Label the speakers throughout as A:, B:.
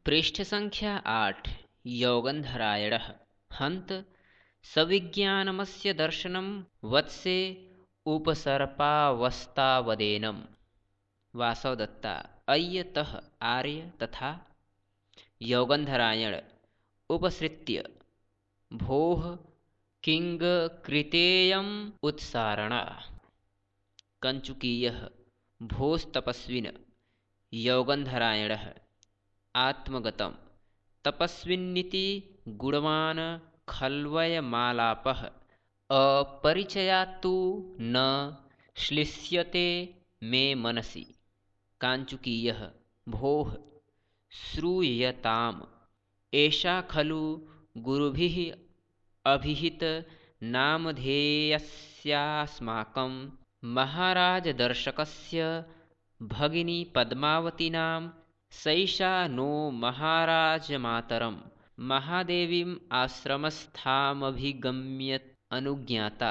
A: पृष्ठसङ्ख्या 8 योगन्धरायणः हन्त सविज्ञानमस्य दर्शनं वत्से उपसर्पावस्तावदेनं वासवदत्ता अय्यतः आर्य तथा योगन्धरायण उपसृत्य भोः किं कृतेयम् उत्सारणा कञ्चुकीयः भोस्तपस्विन योगन्धरायणः आत्मगतं तपस्विन्निति गुणवान् खल्वयमालापः अपरिचयात्तु न श्लिष्यते मे मनसि काञ्चुकीयः भोः श्रूयताम् एषा खलु गुरुभिः अभिहित नामधेयस्यास्माकं महाराजदर्शकस्य भगिनी पद्मावतीनां सैषा नो महाराजमातरं महादेवीम् आश्रमस्थामभिगम्य अनुज्ञाता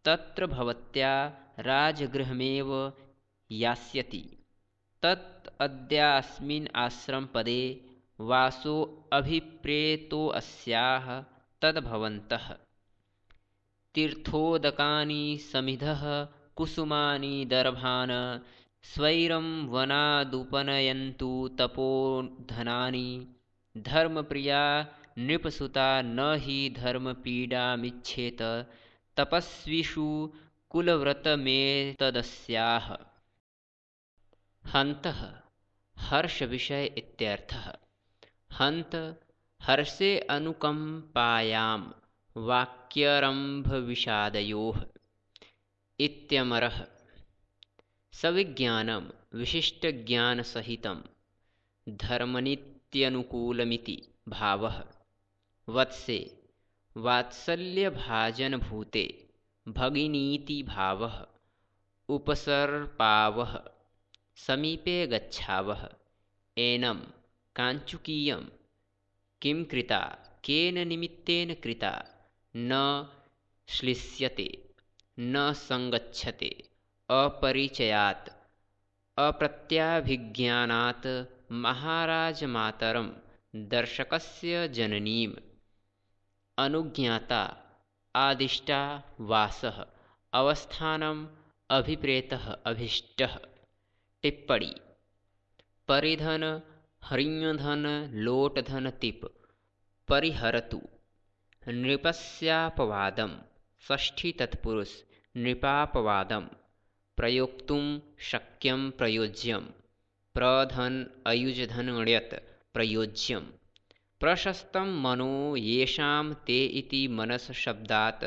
A: तत्र भवत्या राजगृहमेव यास्यति तत् अद्यास्मिन् आश्रमपदे वासोऽभिप्रेतोऽस्याः तद्भवन्तः तीर्थोदकानि समिधः कुसुमानि दर्भान् स्वैरं वनादुपनयन्तु तपोधनानि धर्मप्रिया नृपसुता न हि धर्मपीडामिच्छेत तपस्विषु कुलव्रतमेतदस्याः हन्तः हर्षविषय इत्यर्थः हन्त हर्षे अनुकम्पायां वाक्यारम्भविषादयोः इत्यमरः सविज्ञानं विशिष्टज्ञानसहितं धर्मनीत्यनुकूलमिति भावः वत्से वात्सल्यभाजनभूते भगिनीति भावः उपसर्पावः समीपे गच्छावः एनं काञ्चुकीयं किं कृता केन निमित्तेन कृता न श्लिष्यते न संगच्छते अपरिचयात् अप्रत्याभिज्ञानात् महाराजमातरं दर्शकस्य जननीम् अनुज्ञाता आदिष्टा वासः अवस्थानम् अभिप्रेतः अभीष्टः टिप्पणी परिधन हरिण्यधन लोटधन तिप परिहरतु नृपस्यापवादं षष्ठी तत्पुरुष नृपापवादं प्रयोक्तुं शक्यं प्रयोज्यं प्रधन अयुजधन ण्यत् प्रयोज्यं प्रशस्तं मनो येषां ते इति मनस शब्दात्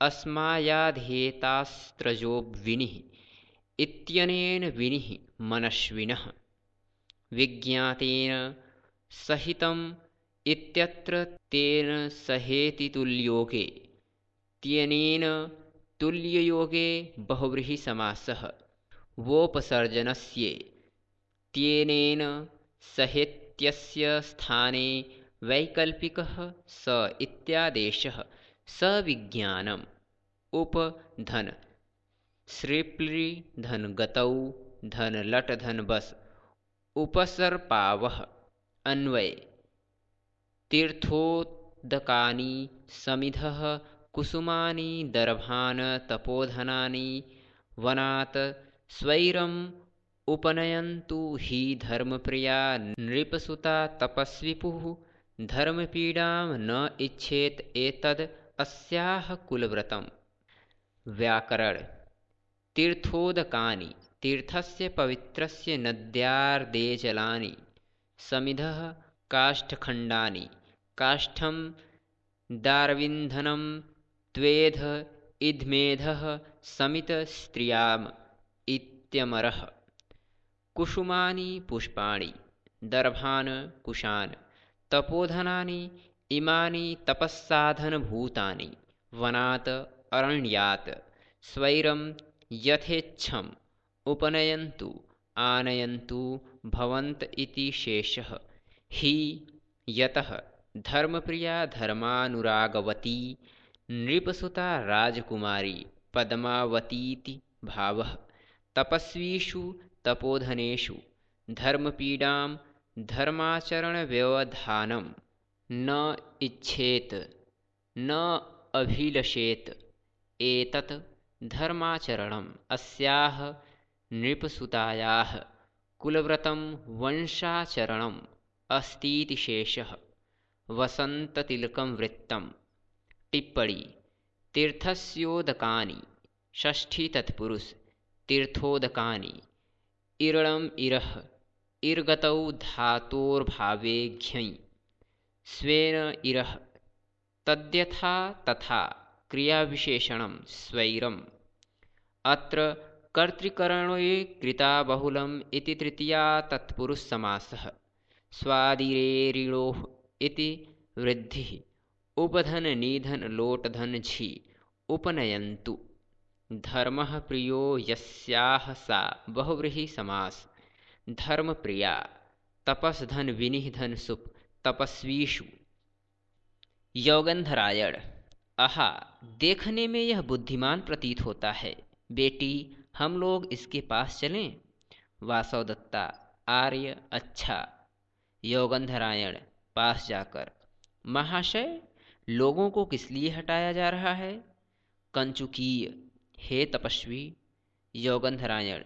A: अस्मायाधेतास्त्रजो विनिः इत्यनेन विनिः मनस्विनः विज्ञातेन सहितम् इत्यत्र तेन सहेतितुल्योगे त्यनेन तुल्ययोगे बहुव्रीहि समासः वोपसर्जनस्ये त्यनेन सहेत्यस्य स्थाने वैकल्पिकः स इत्यादेशः सविज्ञानम् उपधन श्रीप्लि धन गतौ धन लट धन बस उपसर्पावः अन्वय तीर्थोदकानि समिधः कुसुमानि दर्भान् तपोधनानि वनात् स्वैरम् उपनयन्तु हि धर्मप्रिया नृपसुता तपस्विपुः धर्मपीडां न इच्छेत एतद् अस्याः कुलव्रतम् व्याकरण तीर्थोदकानि तीर्थस्य पवित्रस्य नद्यार्दे जलानि समिधः काष्ठखण्डानि काष्ठं दारविन्धनं त्वेध इद्मेधः समितस्त्रियाम् इत्यमरः कुसुमानि पुष्पाणि दर्भान् कुशान् तपोधनानि इमानि तपस्साधनभूतानि वनात् अरण्यात् स्वैरं यथेच्छम् उपनयन्तु आनयन्तु भवन्त इति शेषः हि यतः धर्मप्रिया धर्मानुरागवती नृपसुता राजकुमारी पद्मावतीति भावः तपस्वीषु तपोधनेषु धर्मपीडां धर्माचरण व्यवधानम न इच्छेत न अभिलषेत एतत् धर्माचरणम् अस्याः नृपसुतायाः कुलव्रतं वंशाचरणम् अस्तीति शेषः। वसन्ततिलकं वृत्तम्। टिप्पणी। तीर्थस्योदकानि षष्ठी तत्पुरुष तीर्थोदकानि इरणम् इरः इर्गतौ धातोर्भावे घ्यञ् स्वेन इरः तद्यथा तथा क्रियाविशेषणं स्वैरम्। अत्र कर्तृकरणे कृता बहुलम् इति तृतीया तत्पुरुष समासः। स्वादिरेरिणोः इति वृद्धिः उपधन निधन लोटधन झि उपनयन्तु। धर्मः प्रियो यस्याः सा बहुव्रीहि समास। धर्मप्रिया तपस्धन विनिह धन सुप तपस्वीषु। योगंधरायण। आहा, देखने में यह बुद्धिमान प्रतीत होता है, बेटी हम लोग इसके पास चलें। वासवदत्ता। आर्य। अच्छा। योगंधरायण पास जाकर, महाशय लोगों को किस लिए हटाया जा रहा है? कंचुकीय। हे तपस्वी। योगंधरायण।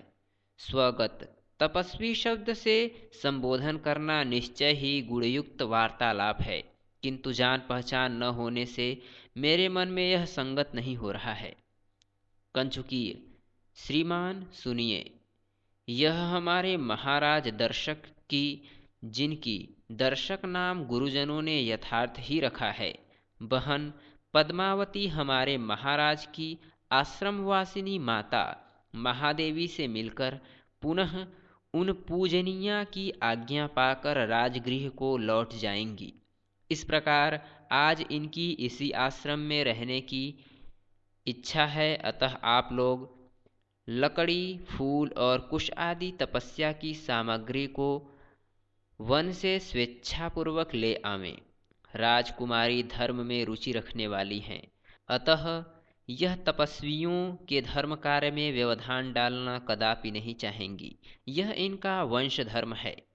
A: स्वगत। तपस्वी शब्द से संबोधन करना निश्चय ही गुणयुक्त वार्तालाप है, किंतु जान पहचान न होने से मेरे मन में यह संगत नहीं हो रहा है। कंचुकीय। श्रीमान सुनिए, यह हमारे महाराज दर्शक की, जिनकी दर्शक नाम गुरुजनों ने यथार्थ ही रखा है, बहन पद्मावती हमारे महाराज की आश्रमवासिनी माता महादेवी से मिलकर पुनः उन पूजनिया की आज्ञा पाकर राजगृह को लौट जाएंगी। इस प्रकार आज इनकी इसी आश्रम में रहने की इच्छा है, अतः आप लोग लकड़ी, फूल और कुश आदि तपस्या की सामग्री को वन से स्वेच्छापूर्वक ले आवें। राजकुमारी धर्म में रुचि रखने वाली हैं, अतः यह तपस्वियों के धर्म कार्य में व्यवधान डालना कदापि नहीं चाहेंगी। यह इनका वंश धर्म है।